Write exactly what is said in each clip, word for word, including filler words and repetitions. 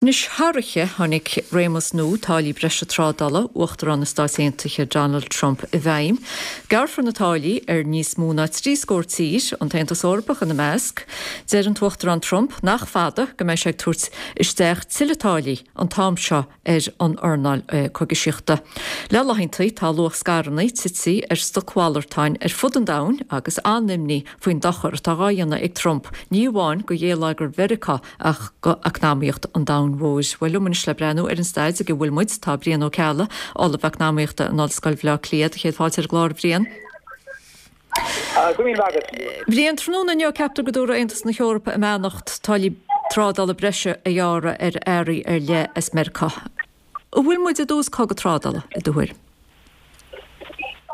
Anois thar oíche tháinig réimeas nua táillí breise trádála Uachtarán na Stát Aontaithe Donald Trump i bhfeidhm. Gearrfar na táillí ar níos mó ná trí scór tír an tAontas Eorpach ina measc. Deir an tUachtarán Trump nach fada go mbeidh sé ag tabhairt isteach tuilleadh táillí an t-am seo ar an earnáil cogaisíochta. Le laethanta tá luach scaireanna tite ar stocmhalartáin ar fud an domhain agus an-imní faoin dochar atá á dhéanamh ag Trump ní amháin go gheilleagar Mheiriceá ach go eacnamaíocht an domhain mhóir. Well liom anois le breathnú ar an staid ag a bhfuil muid tá Brian Ó Ceallaigh, Ollamh Eacnamaíochta in Ollscoil Bhaile Átha Cliath, céad fáilte ar an gclár Bhrian. Bhrian tráthnóna inniu ceaptar go dtabharfaidh Aontas na hEorpa a mbeannacht táillí trádála breise a ghearradh ar earraí ar leith as Meiriceá. An bhfuil muid i dtús cogadh trádála i do thuairim?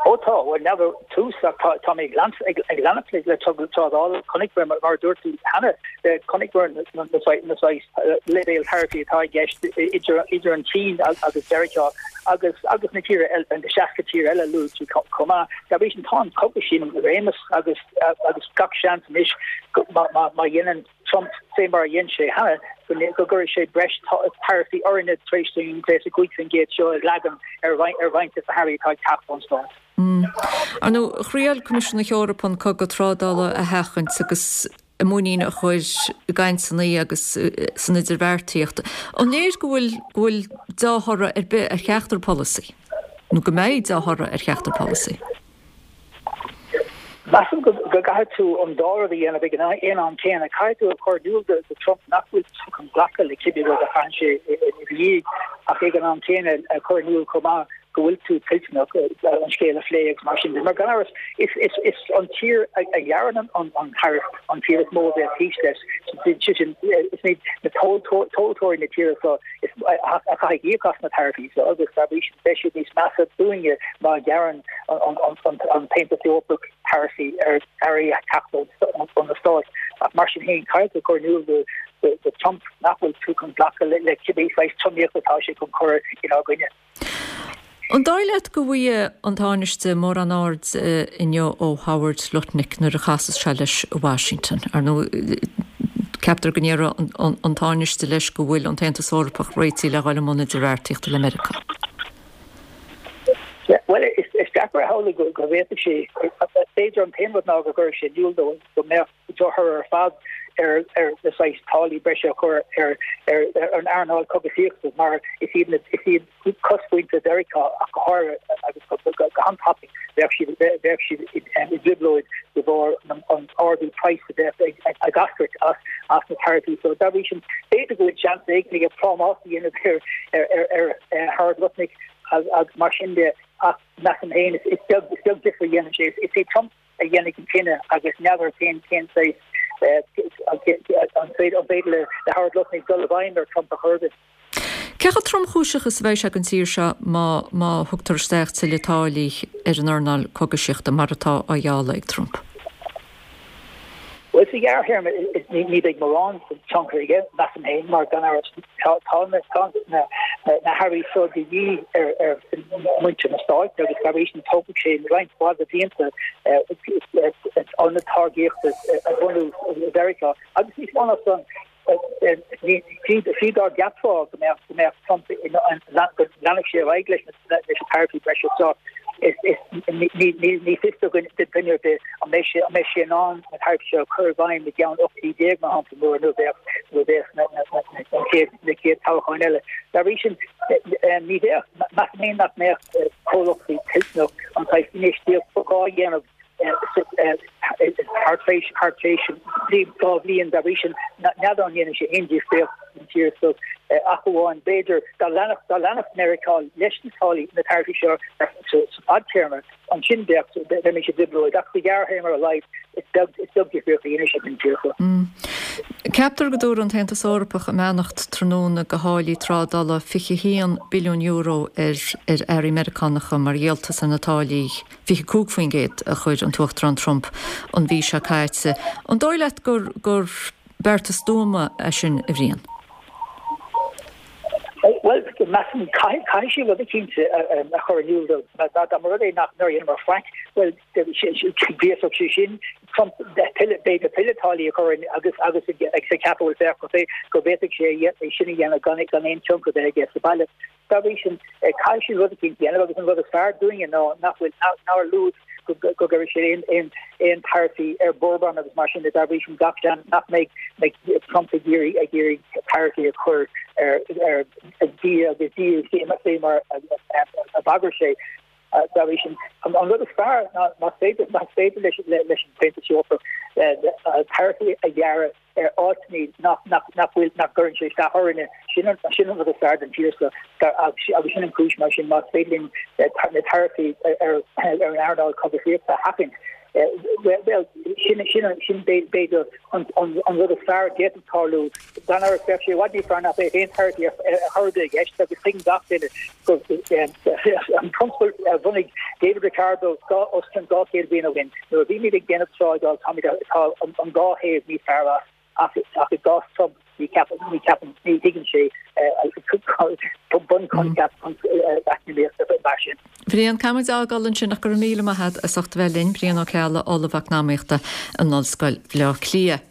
Ó tá well n'fheadar tús ach tá tá mé ag ag leanacht le trádála chonaic mar mar dúirt tú cheana chonaic na na leibhéil taraifí atá i gceist idir idir an tSín agus Meiriceá agus agus na tíortha eile an seasca tír eile luaigh tú chomh maith. Dá bhrí sin tá an cogadh sin i réimeas agus agus gach seans anois má má dhéanann Trump fé mar a dhein sé cheana go gcuirfidh sé breis taraifí orainne tar éis an fiche cúig faoin gcéad seo a leagan ar ar roinnt de na hearraí atá ag teacht ón Stát. Ar ndóigh, thriail Coimisiún na hEorpa an cogadh trádála a sheachaint agus a muinín a chur i gcainteanna agus san idirbheartaíocht. An léir go bhfuil go bhfuil dea-thoradh ar bith ar cheachtar polasaí? Nó go mbeidh dea-thoradh ar cheachtar polasaí? Measaim go gcaithfidh tú an dá rud a dhéanamh ag an aon am céanna. Caithfidh tú a chur in iúl do Trump nach bhfuil tú chun glacadh le cibé rud a chaitheann sé i do dhiaidh ach ag an am céanna a chur in iúl chomh maith go bhfuil tú toilteanach an scéal a phlé agus mar sin de. Mar gan amhras is is is an tír a ghearrann an an tariff an tír is mó a bheadh thíos leis. Sin is iad na tomhaltóirí na tíre seo is a chaithfidh íoc as na taraifí so agus dá bhrí sin beidh siad níos measa dúinne má ghearrann an an tAontas Eorpach taraifí ar earraí ag teacht ó na Stáit. Ach mar sin féin caithfidh tú cur in iúl do do Trump nach bhfuil tú chun glacadh le cibé saghas tromaíocht atá sé chun cur inár gcoinne. An dóigh leat go bhfaighidh an Tánaiste mórán aird inniu ó Howard Lutnick nuair a chasas sé leis i Washington? Ar ndóigh, ceaptar go ndéarfaidh an Tánaiste leis go bhfuil an tAontas Eorpach réitithe le dhul i mbun idirbheartaíochta le Meiriceá. Well is is deacair a shamhlú go go bhféadfadh sé b'fhéidir an t-aon rud ná go gcuirfeadh sé in iúl dó go mbeadh drochthoradh ar fad ar ar na saghas táillí breise a chur ar ar an earnáil cogaisíochta mar is iad na is iad cosmhuintir Mheiriceá ach go háirithe agus go go han-tapaidh bheadh siad bheadh siad i dtrioblóid de bharr an ardú praghas a bheadh ag ag eascairt as as na taraifí so dá bhrí sin b'fhéidir go bhfuil seans éigin aige prámás a dhéanamh ar ar ar ar Howard Lutnick agus mar sin de ach measaim féin is beag is beag difear a dhéanann sé is é Trump a dhéanfaidh an cinneadh agus n'fheadar cén cén saghas an féidir le Howard Lutnick dul i bhfeidhm ar Trump a chur de. Cé chomh tromchúiseach is a bheidh sé don tír seo má má thugtar isteach tuilleadh táillí ar an earnáil cogaisíochta mar atá á ghealladh ag Trump? Well sa ghearrthéarma ní bheidh mórán tionchar aige measaim féin mar gan amhras tá tá na na hearraí seo de dhíth ar ar muintir na Stáit agus dá bhrí sin tógfaidh sé roinnt mhaith de bhlianta ionad táirgíochta a bhunú i Mheiriceá agus níos mó ná san fiú dá gceapfá go mbeadh go mbeadh Trump go leanfadh sé ar aghaidh leis na leis na taraifí breise seo ní fios do dhuine ar bith an mbeidh sé an mbeidh sé in ann na taraifí seo a chur i bhfeidhm i gceann ocht mí déag mar shampla nuair nuair bheadh nuair bheadh na chéad na chéad toghcháin eile. Dá bhrí sin ní bheadh measaim féin nach mbeadh comhlachtaí toilteanach an saghas infheistíocht ba ghá a dhéanamh thar tréis thar tréis dhá bhliain dá bhrí sin n'fheadar an ndéanfaidh sé aon difríocht don tír so ach amháin b'fhéidir dá leanfadh dá leanfadh Meiriceá leis na táillí na taraifí seo sa fadtéarma ansin bheadh bheimis i dtrioblóid ach sa ghearrthéarma ar a laghad is beag is beag difríocht a dhéanfaidh sé don tír seo. Ceaptar go dtabharfaidh an tAontas Eorpach a mbeannacht tráthnóna do tháillí trádála fiche haon billiún euro ar ar earraí Meiriceánacha mar dhíoltas ar na táillí fiche cúig faoin gcéad a chuir an tUachtarán Trump an mhí seo caite. An dóigh leat gur gur beartas stuama é sin a Bhriain? Well measaim caithfidh sé rud eicínt a chur in iúl dó dá mba rud é nach nár dheineamar faic Well bhíosach sé sin b'fhéidir tuilleadh táillí a chur agus agus ag sa ceapadh féach go bhféadfadh sé é sin a dhéanamh gan gan aon tionchar aige sa baile. Dá bhrí sin caithfidh siad rud éicint a dhéanamh agus an rud is fearr dúinne ná nach bhfuil nár luaigh go gcuirfidh sé aon aon aon taraifí ar bourbon agus mar sin de dá bhrí sin gach seans nach mbeidh mbeidh Trump ag iarraidh ag iarraidh taraifí a chur ar ar bhia agus dí mar a bhagair sé dá bhrí sin an rud is fearr ná más féidir más féidir leis leis an Aontas Eorpach taraifí a ghearradh ar áiteanna nach nach nach bhfuil nach gcuireann sé isteach orainne sin an sin an rud is fearr don tír seo agus sin an chúis mar sin más féidir linn na taraifí ar ar an earnáil cogaíochta a sheachaint well sin sin sin b'fhéidir an an rud is fearr a d'fhéadfadh tarlú gan ar bheadh sé i bhfad níos fearr nach mbeadh aon taraifí ar chor ar bith i gceist agus tuigeann gach duine go an prionsabal a bhunaigh David Ricardo os cionn dhá chéad bliain ó shin nuair a bhímid ag déanamh trádáil táimid tá an dhá thaobh níos fearr as ach ach i gcás Trump ní ceapaim ní ceapaim ní thuigeann sé bunchoincheap eacnamaíochta mar sin. Brian caithfimid a fhágáil ansin ach go raibh míle maith agat as ucht a bheith linn Brian Ó Ceallaigh, Ollamh Eacnamaíochta in Ollscoil Bhaile Átha Cliath.